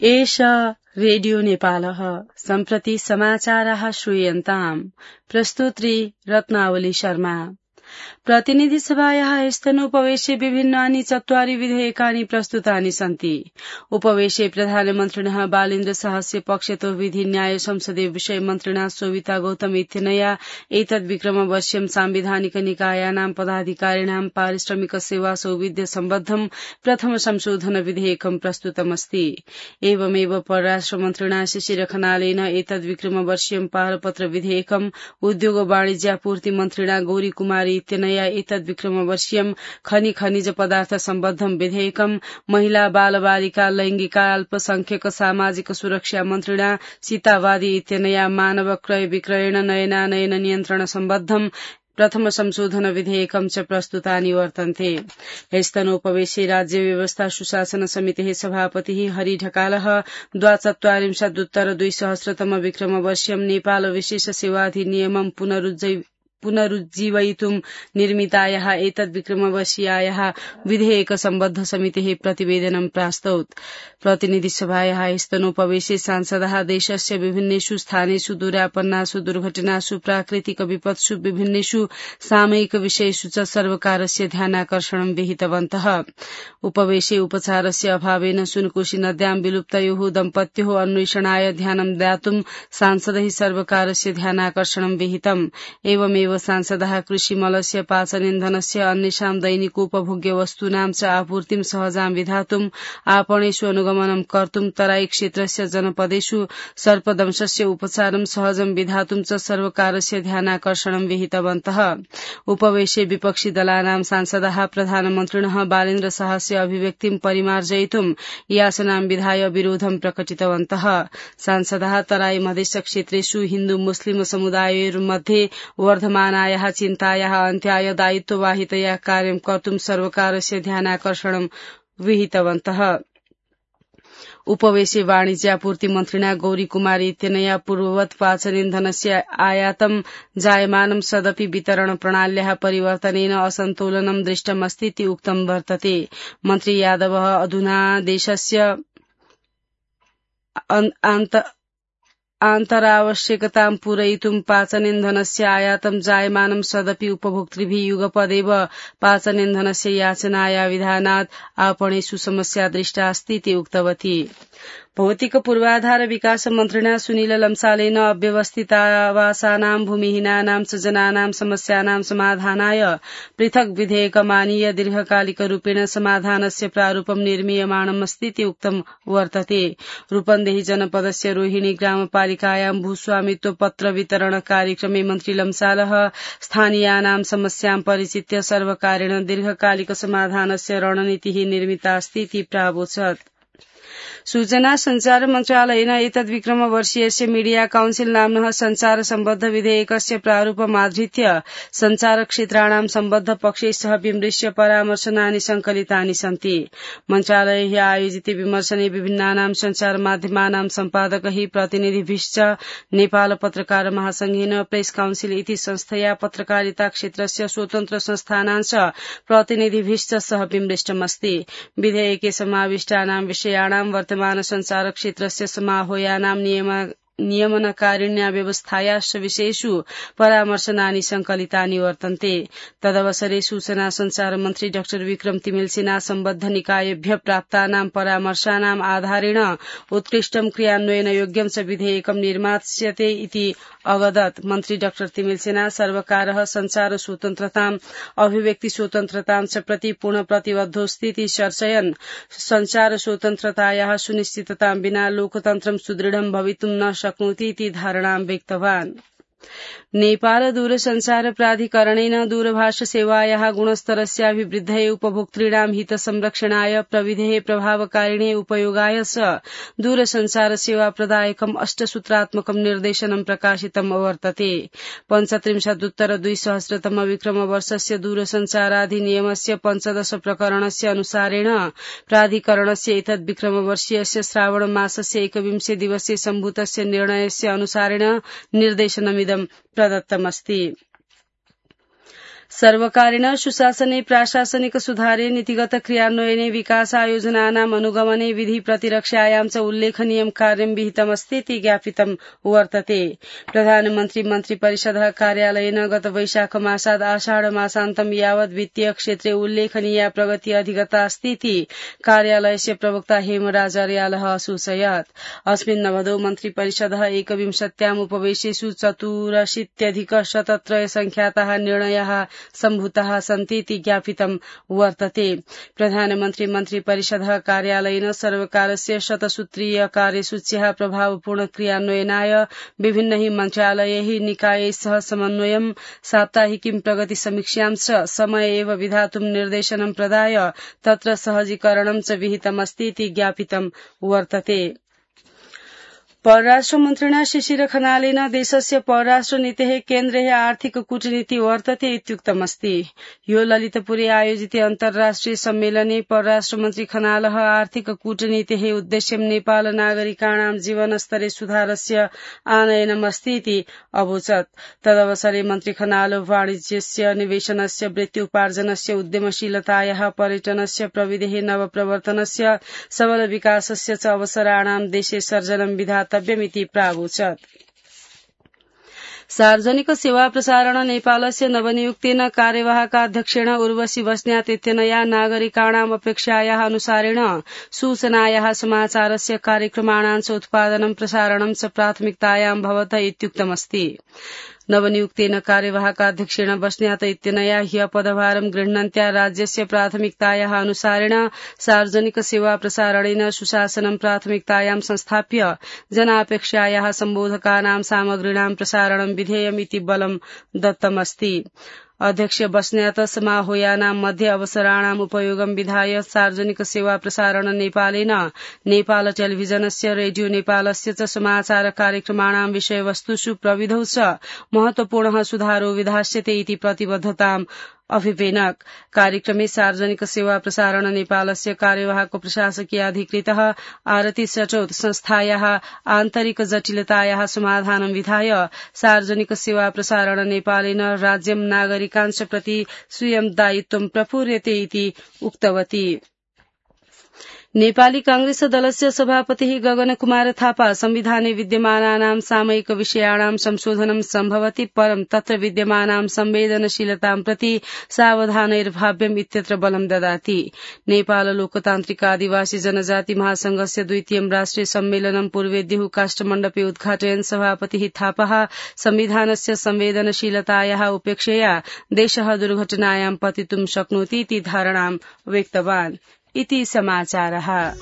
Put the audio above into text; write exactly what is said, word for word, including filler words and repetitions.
एष रेडियो नेपालः सम्प्रति समाचाराः श्रूयन्ताम् प्रस्तुत्री रत्नावली शर्मा। प्रतिनिधि सभायाः स्तनोपवेशे विभिन्नानि चत्वारि विधेयकानि प्रस्तुतानि सन्ति। उपवेशे प्रधानमन्त्रिणः बालेन्द्र साहस्य पक्षतो विधि न्याय संसदीय विषय मन्त्रिणा शोभिता गौतम इत्यनया एतद् विक्रमवर्ष्यं सांविधानिक निकायानां पदाधिकारिणां पारिश्रमिक सेवा सौविध्य सम्बद्धं प्रथम संशोधन विधेयकं प्रस्तुतमस्ति। एवमेव परराष्ट्र मन्त्रिणा शिशिर खनालेन एतद् विक्रमवर्ष्यं पारपत्र विधेयकम् उद्योग वाणिज्यापूर्ति मन्त्रिणा गौरी कुमारी इत्यनया एतद् विक्रमवर्ष्यं खनि खनिज पदार्थ सम्बद्धं विधेयकम् महिला बाल बालिका लैंगिक अल्पसंख्यक सामाजिक सुरक्षा मन्त्रिणा सीतावादी इत्यनया मानव क्रय विक्रयण नयनानयन नियन्त्रण सम्बद्धं प्रथम संशोधन विधेयकं च प्रस्तुतानि वर्तन्ते। स्तनोपवेशे राज्य व्यवस्था सुशासन समितेः सभापतिः हरि ढकालः द्वाचत्वारिंशदुत्तर द्विसहस्रतम विक्रमवर्ष्यं नेपाल विशेष सेवाधिनियमं पुनरुज्जीव पुनरुज्जीवयितुं निर्मितायाः एतद् विक्रमवर्षीयायाः विधेयक सम्बद्ध समितेः प्रतिवेदनं प्रास्तौत्। प्रतिनिधि सभायाः स्तनोपवेशे सांसदाः देशस्य विभिन्नेषु स्थानेषु दुरापन्नासु दुर्घटनासु प्राकृतिक विपत्सु विभिन्नेषु सामयिक विषयेषु च सर्वकारस्य ध्यानाकर्षणं विहितवन्तः। उपवेशे उपचारस्य अभावेन सुनकोशी नद्यां विलुप्तयोः दम्पत्योः अन्वेषणाय ध्यानं दातुं सांसदैः सर्वकारस्य ध्यानाकर्षणं विहितम्। एवमेव सांसदाः कृषिमलस्य पाचन इन्धनस्य अन्येषां दैनिकोपभोग्य वस्तूनां च आपूर्तिं सहजां विधातुं आपणेषु अनुगमनं कर्तुं तराई क्षेत्रस्य जनपदेषु सर्पदंशस्य उपचारं सहजं विधातुं च सर्वकारस्य ध्यानाकर्षणं विहितवन्तः। उपवेशे विपक्षी दलानां सांसदाः प्रधानमन्त्रिणः बालेन्द्र साहस्य अभिव्यक्तिं परिमार्जयितुं याचनां विधाय विरोधं प्रकटितवन्तः। सांसदाः तराई मधेस क्षेत्रेषु हिन्दू मुस्लिम समुदायमध्ये वर्धमानायाः चिन्तायाः अन्त्याय दायित्ववाहितया कार्यं कर्तुं सर्वकारस्य ध्यानाकर्षणं विहितवन्तः। उपवेशे वाणिज्यापूर्ति मन्त्रिणा गौरी कुमारी इत्यनया पूर्ववत् पाचन इन्धनस्य आयातं जायमानं सदपि वितरण प्रणाल्याः परिवर्तनेन असन्तोलनं दृष्टमस्ति इति उक्तं वर्तते। मन्त्री यादवः अधुना देशस्य आन्तरावश्यकतां पूरयितुं पाचन इन्धनस्य आयातं जायमानं सदपि उपभोक्तृभिः युगपदेव पाचन इन्धनस्य याचनाया विधानात् आपणेषु समस्या दृष्टा अस्ति इति उक्तवती। भौतिक पूर्वाधार विकास मन्त्रिणा सुनील लम्सालेन अव्यवस्थितावासानां भूमिहीनानां च जनानां समस्यानां समाधानाय पृथक् विधेयकमानीय दीर्घकालिकरूपेण समाधानस्य प्रारूपं निर्मीयमाणमस्ति इति उक्तं वर्तते। रूपन्देही जनपदस्य रोहिणी ग्रामपालिकायां भूस्वामित्व पत्र वितरण कार्यक्रमे मन्त्री लम्सालः स्थानीयानां समस्यां परिचित्य सर्वकारेण दीर्घकालिक समाधानस्य रणनीतिः निर्मिता अस्ति इति प्रावोचत्। सूचना संचार मन्त्रालयेन एतद् विक्रमवर्षीयस्य मीडिया काउन्सिल नाम्नः संचार सम्बद्ध विधेयकस्य प्रारूपमाधृत्य संचार क्षेत्राणां सम्बद्ध पक्षैः सह विमृश्य परामर्शनानि संकलितानि सन्ति। मन्त्रालयैः आयोजिते विमर्शने विभिन्नानां संचार माध्यमानां सम्पादकैः प्रतिनिधिभिश्च नेपाल पत्रकार महासंघेन प्रेस काउन्सिल इति संस्थया पत्रकारिता क्षेत्रस्य स्वतन्त्र संस्थानां च प्रतिनिधिभिश्च सह विमृष्टमस्ति। विधेयके समाविष्टानां विषयाणां वर्तमान संचार क्षेत्रस्य समाह्वयानां नियम नियमनकारिण्या व्यवस्थायाश्च विषयेषु परामर्शनानि संकलितानि वर्तन्ते। तदवसरे सूचना संचार मन्त्री डाक्टर विक्रम तिमिलसिना सम्बद्ध निकायेभ्य प्राप्तानां परामर्शानाम् आधारेण उत्कृष्टं क्रियान्वयनयोग्यं च विधेयकं निर्मास्यते इति अवदत्। मन्त्री डाक्टर तिमिलसिना सर्वकारः संचार स्वतन्त्रताम् अभिव्यक्ति स्वतन्त्रतां च प्रति पूर्ण प्रतिबद्धोऽस्ति इति चर्चयन् संचार स्वतन्त्रतायाः सुनिश्चिततां विना लोकतन्त्रं सुदृढं भवितुं न शक्नोति इति धारणां व्यक्तवान्। नेपाल दूरसंचार प्राधिकरणेन दूरभाष सेवायाः गुणस्तरस्याभिवृद्धये उपभोक्तॄणां हित संरक्षणाय प्रविधेः प्रभावकारिणे उपयोगाय च दूरसंचार सेवा प्रदायकम् अष्टसूत्रात्मकं निर्देशनं प्रकाशितम् अवर्तते। पञ्चत्रिंशदुत्तर द्विसहस्रतम विक्रमवर्षस्य दूरसंचाराधिनियमस्य पञ्चदश प्रकरणस्य अनुसारेण प्राधिकरणस्य एतद् विक्रमवर्षीयस्य श्रावण मासस्य एकविंशे दिवसे सम्भूतस्य निर्णयस्य अनुसारेण निर्देशनमिदं प्रदत्तमस्ति। सर्वकारेण सुशासने प्राशासनिक सुधारे नीतिगत क्रियान्वयने विकासायोजनानाम् अनुगमने विधि प्रतिरक्षायां च उल्लेखनीयं कार्यं विहितमस्तीति ज्ञापितं वर्तते। प्रधानमन्त्री मन्त्रिपरिषदः कार्यालयेन गत वैशाख मासात् आषाढ मासान्तं यावत् वित्तीय क्षेत्रे उल्लेखनीया प्रगति अधिगतास्तीति कार्यालयस्य प्रवक्ता हेमराज अर्यालः असूचयत्। अस्मिन् नवदो मन्त्रिपरिषदः एकविंशत्याम् उपवेशेषु चतुरशीत्यधिक शतत्रय संख्याताः निर्णयाः सम्भूताः सन्तीति ज्ञापितं वर्तते। प्रधानमन्त्री मन्त्रिपरिषदः कार्यालयेन सर्वकारस्य शतसूत्रीय कार्यसूच्याः प्रभावपूर्ण क्रियान्वयनाय विभिन्नैः मन्त्रालयैः निकायैः सह समन्वयं साप्ताहिकीं प्रगति समीक्षां च समय एव विधातुं निर्देशनं प्रदाय तत्र सहजीकरणं च विहितमस्तीति ज्ञापितं वर्तते। परराष्ट्रमन्त्रिणा शिशिर खनालेन देशस्य परराष्ट्रनीतेः केन्द्रे आर्थिक कूटनीति वर्तते इत्युक्तमस्ति। यो ललितपुरे आयोजिते अन्तर्राष्ट्रिय सम्मेलने परराष्ट्रमन्त्री खनालः आर्थिक कूटनीतेः उद्देश्यं नेपाल नागरिकाणां जीवनस्तरे सुधारस्य आनयनमस्तीति अवोचत्। तदवसरे मन्त्री खनाल वाणिज्यस्य निवेशनस्य वृत्त्युपार्जनस्य उद्यमशीलतायाः पर्यटनस्य प्रविधेः नवप्रवर्तनस्य सबल विकासस्य च अवसराणां देशे सर्जनं विधातव्यमिति प्रावोचत्। सार्वजनिक सेवा प्रसारण नेपालस्य नवनियुक्तेन कार्यवाहकाध्यक्षेण उर्वशी बस्न्यात इत्यनया नागरिकाणाम् अपेक्षायाः अनुसारेण सूचनायाः समाचारस्य कार्यक्रमाणां च उत्पादनं प्रसारणं च प्राथमिकतायां भवत इत्युक्तमस्ति। नवनियुक्तेन कार्यवाहकाध्यक्षेण बस्न्यात इत्यनया ह्य पदभारं गृह्णन्त्या राज्यस्य प्राथमिकतायाः अनुसारेण सार्वजनिक सेवा प्रसारणेन सुशासनं प्राथमिकतायां संस्थाप्य जनापेक्षायाः सम्बोधकानां सामग्रीणां प्रसारणं विधेयमिति बलं दत्तमस्ति। अध्यक्ष बस्न्यात समाहोयानां मध्ये अवसराणाम् उपयोगं विधाय सार्वजनिक सेवा प्रसारण नेपालेन नेपाल टेलिभिजनस्य रेडियो नेपालस्य च समाचार कार्यक्रमाणां विषयवस्तुषु प्रविधौ च महत्वपूर्णः सुधारो विधास्यते इति प्रतिबद्धताम् अभिवेनक। कार्यक्रमे सार्वजनिक सेवा प्रसारण नेपालस्य कार्यवाहक प्रशासकीय अधिकृतः आरती सचौत संस्थायाः आन्तरिक जटिलतायाः समाधानं विधाय सार्वजनिक सेवा प्रसारण नेपालेन राज्यं नागरिकांश प्रति स्वीयं दायित्वं प्रपूर्यते इति उक्तवती। नेपाली कांग्रेस दलस्य सभापतिः गगन कुमार थापा संविधाने विद्यमानानां सामयिक विषयाणां संशोधनं सम्भवति परं तत्र विद्यमानां संवेदनशीलतां प्रति सावधानैर्भाव्यम् इत्यत्र बलं ददाति। नेपाल लोकतान्त्रिक आदिवासी जनजाति महासंघस्य द्वितीयं राष्ट्रिय सम्मेलनं पूर्वेद्युः काष्ठमण्डपे उद्घाटयन् सभापतिः थापः संविधानस्य संवेदनशीलतायाः उपेक्षया देशः दुर्घटनायां पतितुं शक्नोति इति धारणां व्यक्तवान्। इति समाचारः।